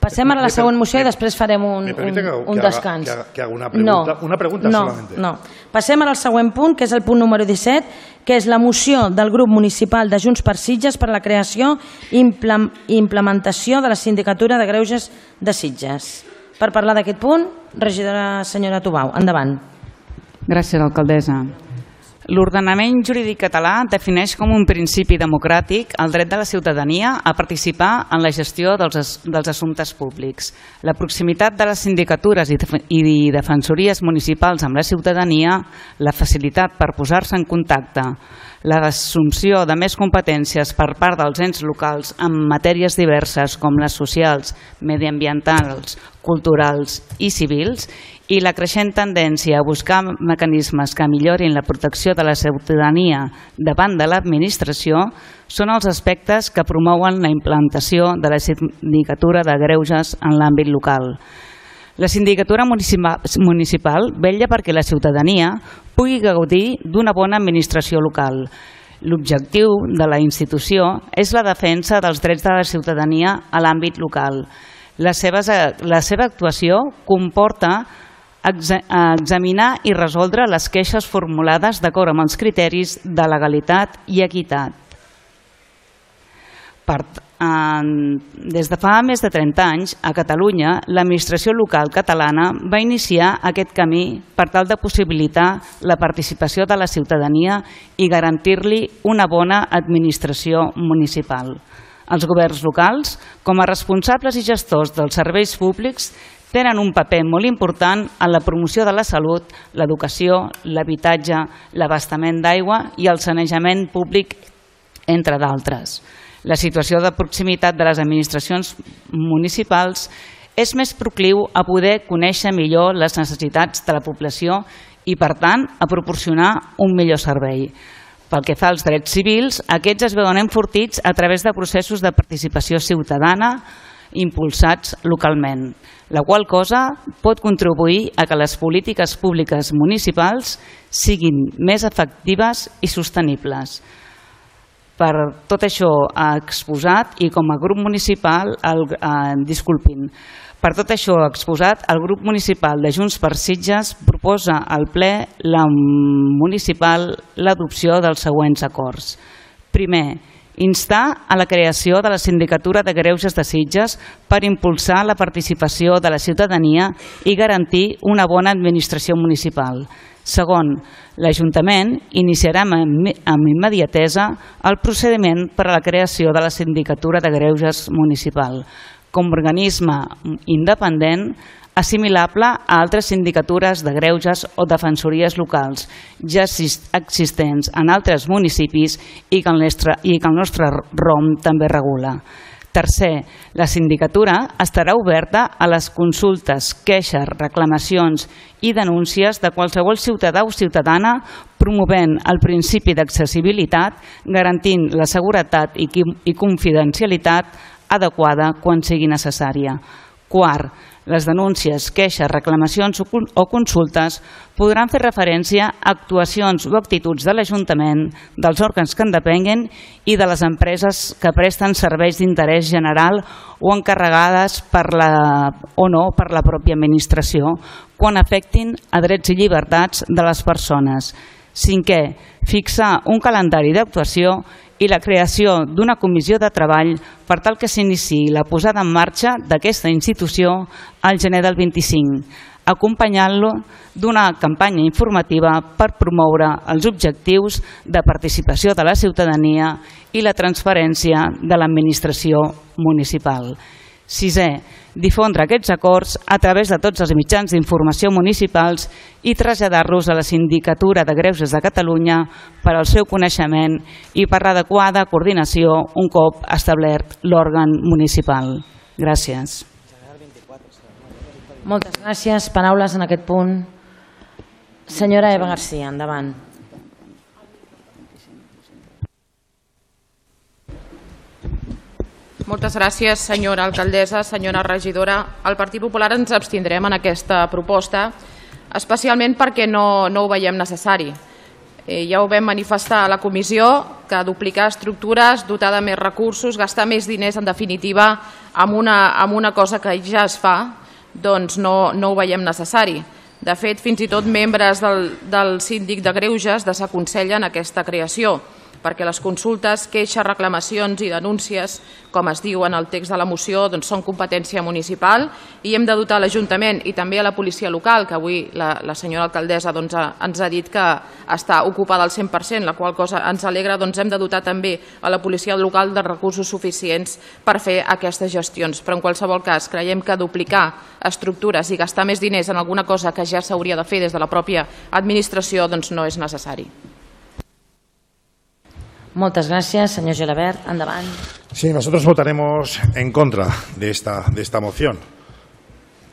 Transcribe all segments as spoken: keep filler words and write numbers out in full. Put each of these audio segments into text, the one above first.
Passem a la següent moció i després farem un, un, un descans. Que haga, que haga una pregunta, no, una pregunta no, solamente. No. Passem al següent punt, que és el punt número disset, que és la moció del grup municipal de Junts per Sitges per a la creació i implementació de la Sindicatura de Greuges de Sitges. Per parlar d'aquest punt, regidora senyora Tubau, endavant. Gràcies, alcaldessa. L'ordenament jurídic català defineix com un principi democràtic el dret de la ciutadania a participar en la gestió dels, dels assumptes públics. La proximitat de les sindicatures i, i defensories municipals amb la ciutadania, la facilitat per posar-se en contacte, l'assumpció de més competències per part dels ens locals en matèries diverses com les socials, mediambientals, culturals i civils, i la creixent tendència a buscar mecanismes que millorin la protecció de la ciutadania davant de l'administració són els aspectes que promouen la implantació de la Sindicatura de Greuges en l'àmbit local. La Sindicatura Municipal vetlla perquè la ciutadania pugui gaudir d'una bona administració local. L'objectiu de la institució és la defensa dels drets de la ciutadania a l'àmbit local. La seva, la seva actuació comporta examinar i resoldre les queixes formulades d'acord amb els criteris de legalitat i equitat. Per, eh, des de fa més de trenta anys, a Catalunya, l'administració local catalana va iniciar aquest camí per tal de possibilitar la participació de la ciutadania i garantir-li una bona administració municipal. Els governs locals, com a responsables i gestors dels serveis públics, tenen un paper molt important en la promoció de la salut, l'educació, l'habitatge, l'abastament d'aigua i el sanejament públic, entre d'altres. La situació de proximitat de les administracions municipals és més procliu a poder conèixer millor les necessitats de la població i, per tant, a proporcionar un millor servei. Pel que fa als drets civils, aquests es veuen enfortits a través de processos de participació ciutadana impulsats localment, la qual cosa pot contribuir a que les polítiques públiques municipals siguin més efectives i sostenibles. Per tot això exposat i com a grup municipal, el, eh, disculpin, per tot això exposat, el grup municipal de Junts per Sitges proposa al ple la municipal l'adopció dels següents acords. Primer, instar a la creació de la Sindicatura de Greuges de Sitges per impulsar la participació de la ciutadania i garantir una bona administració municipal. Segon, l'Ajuntament iniciarà amb immediatesa el procediment per a la creació de la Sindicatura de Greuges Municipal com a organisme independent assimilable a altres sindicatures de greuges o defensories locals ja existents en altres municipis i que el nostre, i que el nostre R O M també regula. Tercer, la sindicatura estarà oberta a les consultes, queixes, reclamacions i denúncies de qualsevol ciutadà o ciutadana promovent el principi d'accessibilitat, garantint la seguretat i confidencialitat adequada quan sigui necessària. Quart, les denúncies, queixes, reclamacions o consultes podran fer referència a actuacions o actituds de l'Ajuntament, dels òrgans que en depenguen i de les empreses que presten serveis d'interès general o encarregades per la, o no per la pròpia administració quan afectin a drets i llibertats de les persones. Cinquè, fixar un calendari d'actuació i la creació d'una comissió de treball per tal que s'iniciï la posada en marxa d'aquesta institució al gener del vint-i-cinc, acompanyant-lo d'una campanya informativa per promoure els objectius de participació de la ciutadania i la transparència de l'administració municipal. Sisè, difondre aquests acords a través de tots els mitjans d'informació municipals i traslladar-los a la Sindicatura de Greuges de Catalunya per al seu coneixement i per l'adequada coordinació un cop establert l'òrgan municipal. Gràcies. Moltes gràcies. Paraules en aquest punt. Senyora Eva García, endavant. Moltes gràcies, senyora alcaldessa, senyora regidora. El Partit Popular ens abstindrem en aquesta proposta, especialment perquè no, no ho veiem necessari. Eh, ja ho vam manifestar a la comissió, que duplicar estructures, dotar de més recursos, gastar més diners, en definitiva, amb una, amb una cosa que ja es fa, doncs no, no ho veiem necessari. De fet, fins i tot membres del, del síndic de Greuges desaconsellen aquesta creació, perquè les consultes, queixes, reclamacions i denúncies, com es diu en el text de la moció, doncs són competència municipal i hem de dotar l'Ajuntament i també a la policia local, que avui la, la senyora alcaldessa doncs, ha, ens ha dit que està ocupada al cent per cent, la qual cosa ens alegra, doncs hem de dotar també a la policia local de recursos suficients per fer aquestes gestions. Però en qualsevol cas creiem que duplicar estructures i gastar més diners en alguna cosa que ja s'hauria de fer des de la pròpia administració doncs no és necessari. Muchas gracias, señor Gelabert. Andavant. Sí, nosotros votaremos en contra de esta, de esta moción,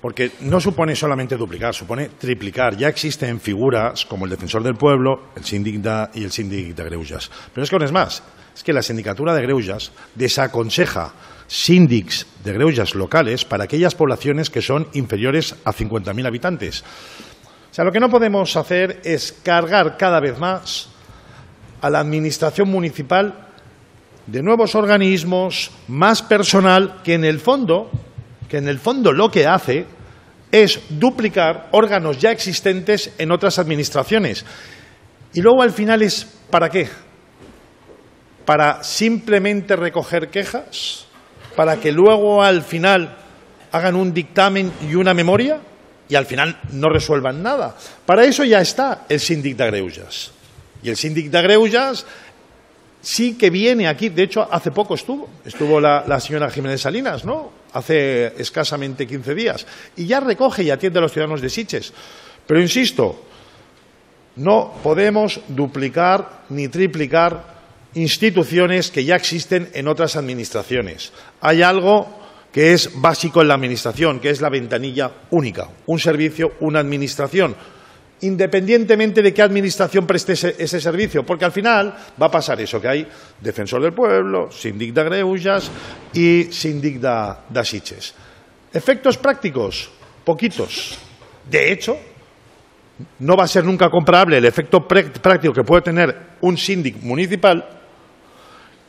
porque no supone solamente duplicar, supone triplicar. Ya existen figuras como el Defensor del Pueblo, el Síndic de, y el Síndic de Greuges. Pero es que aún es más, es que la Sindicatura de Greuges desaconseja síndics de Greuges locales para aquellas poblaciones que son inferiores a cincuenta mil habitantes. O sea, lo que no podemos hacer es cargar cada vez más a la administración municipal de nuevos organismos, más personal, que en el fondo, que en el fondo lo que hace es duplicar órganos ya existentes en otras administraciones. Y luego al final es ¿para qué? Para simplemente recoger quejas, para que luego al final hagan un dictamen y una memoria y al final no resuelvan nada. Para eso ya está el Síndic de Greuges. Y el Síndic de Greuges sí que viene aquí, de hecho hace poco estuvo, estuvo la, la señora Jiménez Salinas, ¿no? Hace escasamente quince días, y ya recoge y atiende a los ciudadanos de Sitges. Pero insisto, no podemos duplicar ni triplicar instituciones que ya existen en otras administraciones. Hay algo que es básico en la administración, que es la ventanilla única, un servicio, una administración, independientemente de qué administración preste ese, ese servicio, porque al final va a pasar eso, que hay Defensor del Pueblo, Síndic de Greuges y Síndic de, de Sitges. Efectos prácticos, poquitos. De hecho, no va a ser nunca comparable el efecto práctico que puede tener un síndic municipal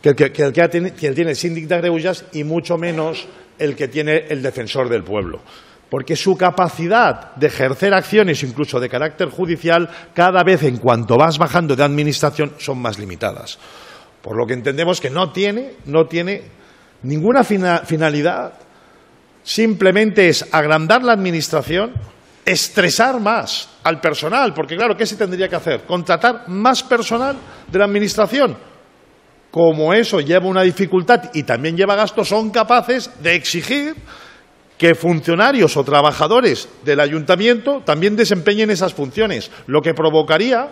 que el que, que, el que, tiene, que tiene el Síndic de Greuges y mucho menos el que tiene el Defensor del Pueblo. Porque su capacidad de ejercer acciones, incluso de carácter judicial, cada vez en cuanto vas bajando de administración, son más limitadas. Por lo que entendemos que no tiene, no tiene ninguna fina, finalidad, simplemente es agrandar la administración, estresar más al personal, porque claro, ¿qué se tendría que hacer? Contratar más personal de la administración. Como eso lleva una dificultad y también lleva gastos, son capaces de exigir que funcionarios o trabajadores del ayuntamiento también desempeñen esas funciones, lo que provocaría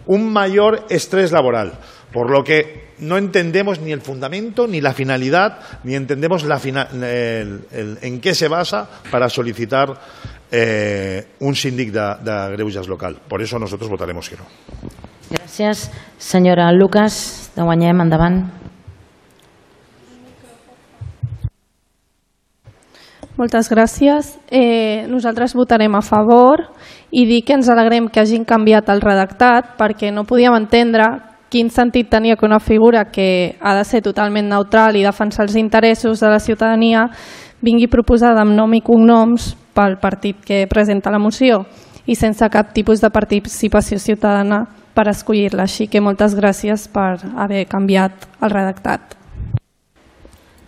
un mayor estrés laboral, por lo que no entendemos ni el fundamento, ni la finalidad, ni entendemos la fina, el, el, en qué se basa para solicitar eh, un síndic de, de Greuges local. Por eso nosotros votaremos que no. Gràcies. Senyora Lucas, de Guanyem, endavant. Moltes gràcies. Eh, nosaltres votarem a favor i dir que ens alegrem que hagin canviat el redactat perquè no podíem entendre quin sentit tenia que una figura que ha de ser totalment neutral i defensar els interessos de la ciutadania vingui proposada amb nom i cognoms pel partit que presenta la moció i sense cap tipus de participació ciutadana per escollir-la. Així que moltes gràcies per haver canviat el redactat.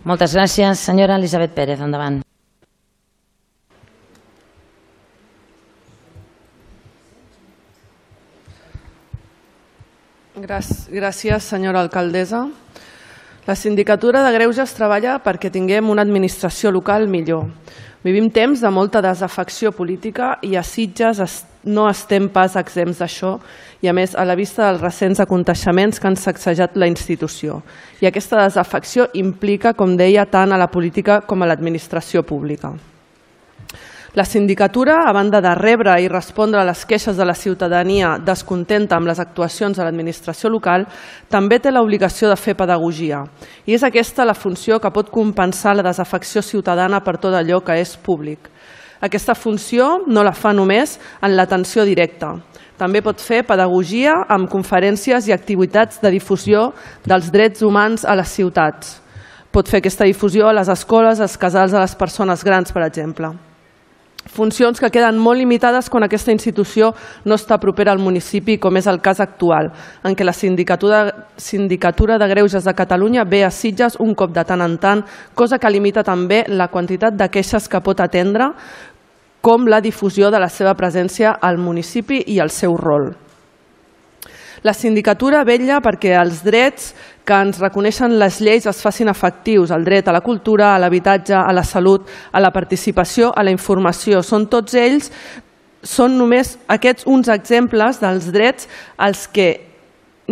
Moltes gràcies. Senyora Elisabet Pérez, endavant. Gràcies, senyora alcaldessa. La Sindicatura de Greuges treballa perquè tinguem una administració local millor. Vivim temps de molta desafecció política i a Sitges no estem pas exempts d'això i, a més, a la vista dels recents aconteixements que han sacsejat la institució. I aquesta desafecció implica, com deia, tant a la política com a l'administració pública. La sindicatura, a banda de rebre i respondre a les queixes de la ciutadania descontenta amb les actuacions de l'administració local, també té l'obligació de fer pedagogia. I és aquesta la funció que pot compensar la desafecció ciutadana per tot allò que és públic. Aquesta funció no la fa només en l'atenció directa. També pot fer pedagogia amb conferències i activitats de difusió dels drets humans a les ciutats. pot fer aquesta difusió a les escoles, als casals de les persones grans, per exemple. Funcions que queden molt limitades quan aquesta institució no està propera al municipi, com és el cas actual, en què la Sindicatura, Sindicatura de Greuges de Catalunya ve a Sitges un cop de tant en tant, cosa que limita també la quantitat de queixes que pot atendre, com la difusió de la seva presència al municipi i el seu rol. La sindicatura vetlla perquè els drets que ens reconeixen les lleis es facin efectius, el dret a la cultura, a l'habitatge, a la salut, a la participació, a la informació. Són tots ells, són només aquests uns exemples dels drets als que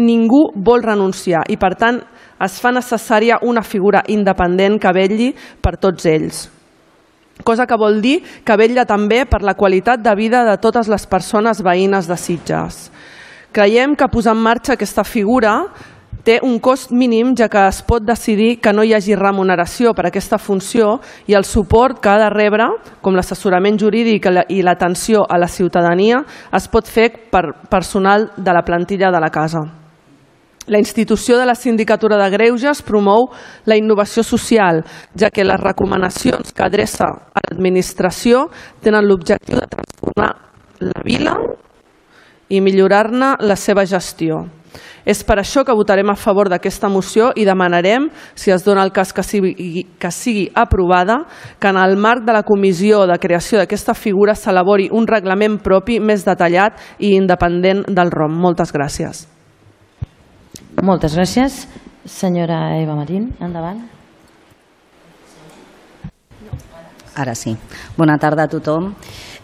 ningú vol renunciar i, per tant, es fa necessària una figura independent que vetlli per tots ells. Cosa que vol dir que vetlla també per la qualitat de vida de totes les persones veïnes de Sitges. Creiem que posar en marxa aquesta figura té un cost mínim, ja que es pot decidir que no hi hagi remuneració per a aquesta funció i el suport que ha de rebre, com l'assessorament jurídic i l'atenció a la ciutadania, es pot fer per personal de la plantilla de la casa. La institució de la Sindicatura de Greuges promou la innovació social, ja que les recomanacions que adreça a l'administració tenen l'objectiu de transformar la vila i millorar-ne la seva gestió. És per això que votarem a favor d'aquesta moció i demanarem, si es dona el cas que sigui, que sigui aprovada, que en el marc de la comissió de creació d'aquesta figura s'elabori un reglament propi més detallat i independent del R O M. Moltes gràcies. Moltes gràcies. Senyora Eva Marín, endavant. Ara sí. Bona tarda a tothom.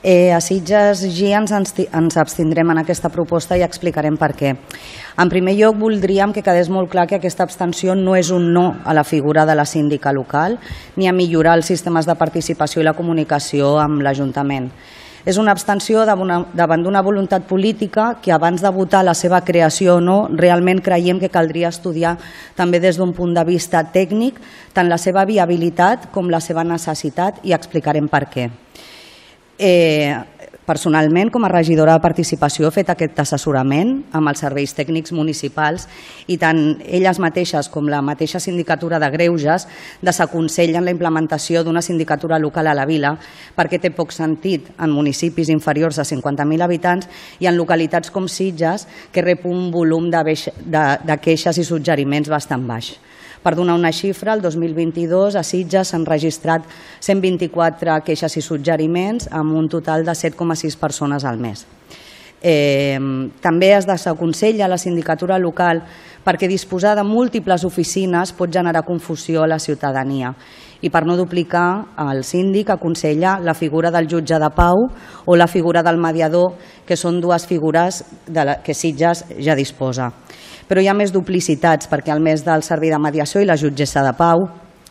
Eh, a Sitges G ens, ens abstindrem en aquesta proposta i explicarem per què. En primer lloc, voldríem que quedés molt clar que aquesta abstenció no és un no a la figura de la síndica local ni a millorar els sistemes de participació i la comunicació amb l'Ajuntament. És una abstenció davant d'una voluntat política que abans de votar la seva creació o no, realment creiem que caldria estudiar també des d'un punt de vista tècnic tant la seva viabilitat com la seva necessitat i explicarem per què. Eh, personalment, com a regidora de participació, he fet aquest assessorament amb els serveis tècnics municipals i tant elles mateixes com la mateixa sindicatura de Greuges desaconsellen la implementació d'una sindicatura local a la vila perquè té poc sentit en municipis inferiors a cinquanta mil habitants i en localitats com Sitges, que rep un volum de, de, de queixes i suggeriments bastant baix. Per donar una xifra, el dos mil vint-i-dos a Sitges s'han registrat cent vint-i-quatre queixes i suggeriments amb un total de set coma sis persones al mes. Eh, també es desaconsella la sindicatura local perquè disposar de múltiples oficines pot generar confusió a la ciutadania i per no duplicar, el síndic aconsella la figura del jutge de pau o la figura del mediador, que són dues figures de la que Sitges ja disposa. Però hi ha més duplicitats perquè al més del servei de mediació i la jutgessa de pau,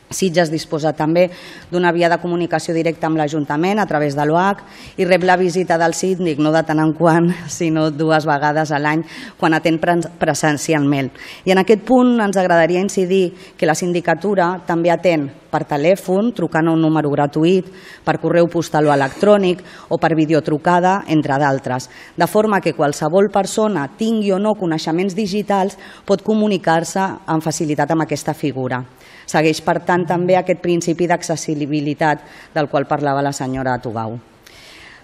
Sitges disposa també d'una via de comunicació directa amb l'Ajuntament a través de l'O H i rep la visita del síndic no de tant en quant, sinó dues vegades a l'any quan atén presencialment. I en aquest punt ens agradaria incidir que la sindicatura també atén per telèfon, trucant a un número gratuït, per correu postal o electrònic o per videotrucada, entre d'altres, de forma que qualsevol persona, tingui o no coneixements digitals, pot comunicar-se amb facilitat amb aquesta figura. Segueix, per tant, també aquest principi d'accessibilitat del qual parlava la senyora Tubau.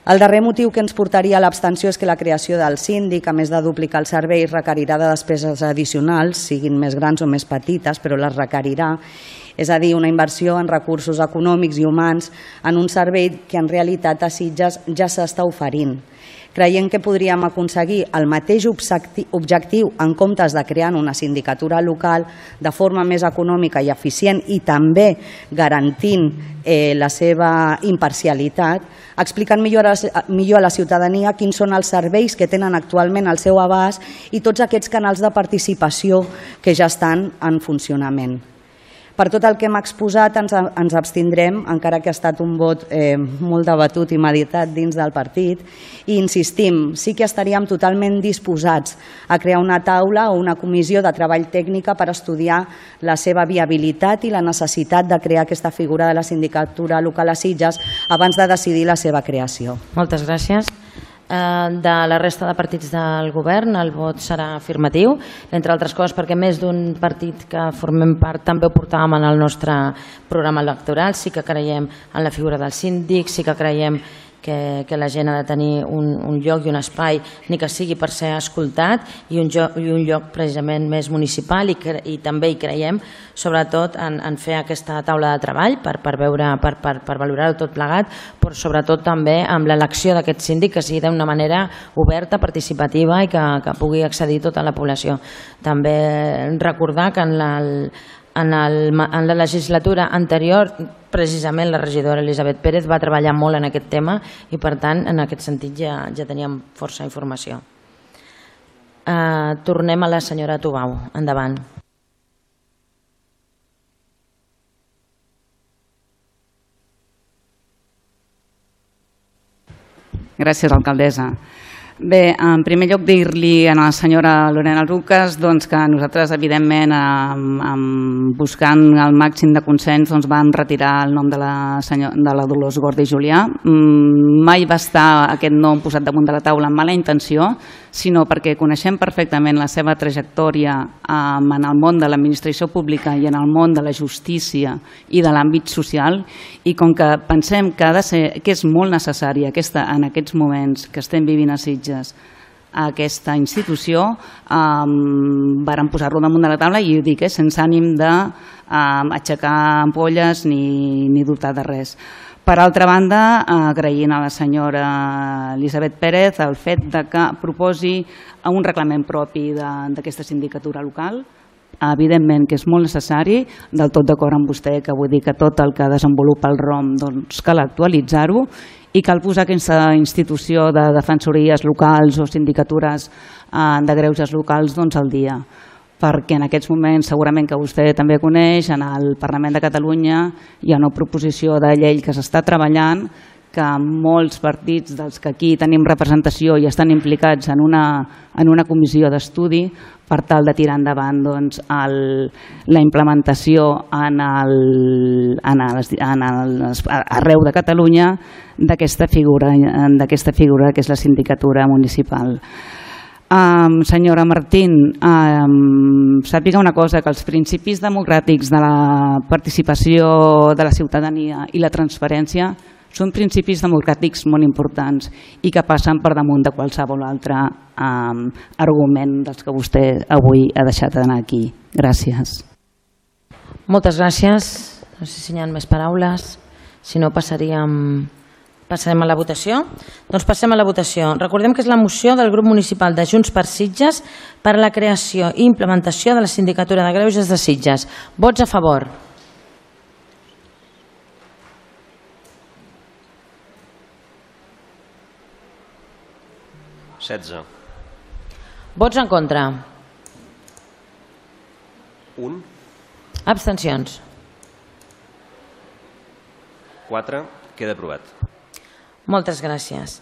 El darrer motiu que ens portaria a l'abstenció és que la creació del síndic, a més de duplicar el servei, requerirà de despeses addicionals, siguin més grans o més petites, però les requerirà, és a dir, una inversió en recursos econòmics i humans en un servei que en realitat a Sitges ja s'està oferint. Creiem que podríem aconseguir el mateix objectiu en comptes de crear una sindicatura local de forma més econòmica i eficient i també garantint eh, la seva imparcialitat, explicant millor a, millor a la ciutadania quins són els serveis que tenen actualment al seu abast i tots aquests canals de participació que ja estan en funcionament. Per tot el que hem exposat ens, ens abstindrem, encara que ha estat un vot eh, molt debatut i meditat dins del partit, i insistim, sí que estaríem totalment disposats a crear una taula o una comissió de treball tècnica per estudiar la seva viabilitat i la necessitat de crear aquesta figura de la sindicatura local a Sitges abans de decidir la seva creació. Moltes gràcies. De la resta de partits del govern el vot serà afirmatiu, entre altres coses perquè més d'un partit que formem part també ho portàvem en el nostre programa electoral. Sí que creiem en la figura del síndic, sí que creiem que, que la gent ha de tenir un, un lloc i un espai, ni que sigui per ser escoltat, i un, lloc, i un lloc precisament més municipal, i, cre, i també hi creiem sobretot en, en fer aquesta taula de treball per, per, veure, per, per, per valorar-ho tot plegat, però sobretot també amb l'elecció d'aquest síndic que sigui d'una manera oberta, participativa i que, que pugui accedir tota la població. També recordar que en la, en, el, en la legislatura anterior precisament la regidora Elisabet Pérez va treballar molt en aquest tema i per tant en aquest sentit ja, ja teníem força informació. Uh, tornem a la senyora Tubau. Endavant. Gràcies, alcaldessa. Bé, en primer lloc dir-li a la senyora Lorena Lucas doncs, que nosaltres, evidentment, buscant el màxim de consens, doncs, vam retirar el nom de la, senyor, de la Dolors Gordi Julià. Mai va estar aquest nom posat damunt de la taula amb mala intenció, sinó perquè coneixem perfectament la seva trajectòria en el món de l'administració pública i en el món de la justícia i de l'àmbit social, i com que pensem que, ha de ser, que és molt necessari aquesta, en aquests moments que estem vivint a Sitges, a aquesta institució, eh, varen posar-lo damunt de la taula, i ho dic, eh, sense ànim d'aixecar eh, ampolles ni, ni dubtar de res. Per altra banda, agraint a la senyora Elisabet Pérez el fet de que proposi un reglament propi d'aquesta sindicatura local. Evidentment que és molt necessari, del tot d'acord amb vostè, que vull dir que tot el que desenvolupa el R O M doncs, cal actualitzar-ho, i cal posar aquesta institució de defensories locals o sindicatures de greuges locals doncs, al dia. Perquè en aquests moments, segurament que vostè també coneix, en el Parlament de Catalunya hi ha una proposició de llei que s'està treballant, que molts partits dels que aquí tenim representació i estan implicats en una, en una comissió d'estudi per tal de tirar endavant doncs, el, la implementació en el, en el, en el, arreu de Catalunya d'aquesta figura, d'aquesta figura que és la sindicatura municipal. Um, senyora Martín, um, sàpiga una cosa, que els principis democràtics de la participació de la ciutadania i la transparència són principis democràtics molt importants i que passen per damunt de qualsevol altre um, argument dels que vostè avui ha deixat d'anar aquí. Gràcies. Moltes gràcies. No sé si hi ha més paraules. Si no, passaríem... Passarem a la votació? Doncs passem a la votació. Recordem que és la moció del grup municipal de Junts per Sitges per a la creació i implementació de la Sindicatura de Greuges de Sitges. Vots a favor? setze. Vots en contra? un. Abstencions? quatre. Queda aprovat. Moltes gràcies.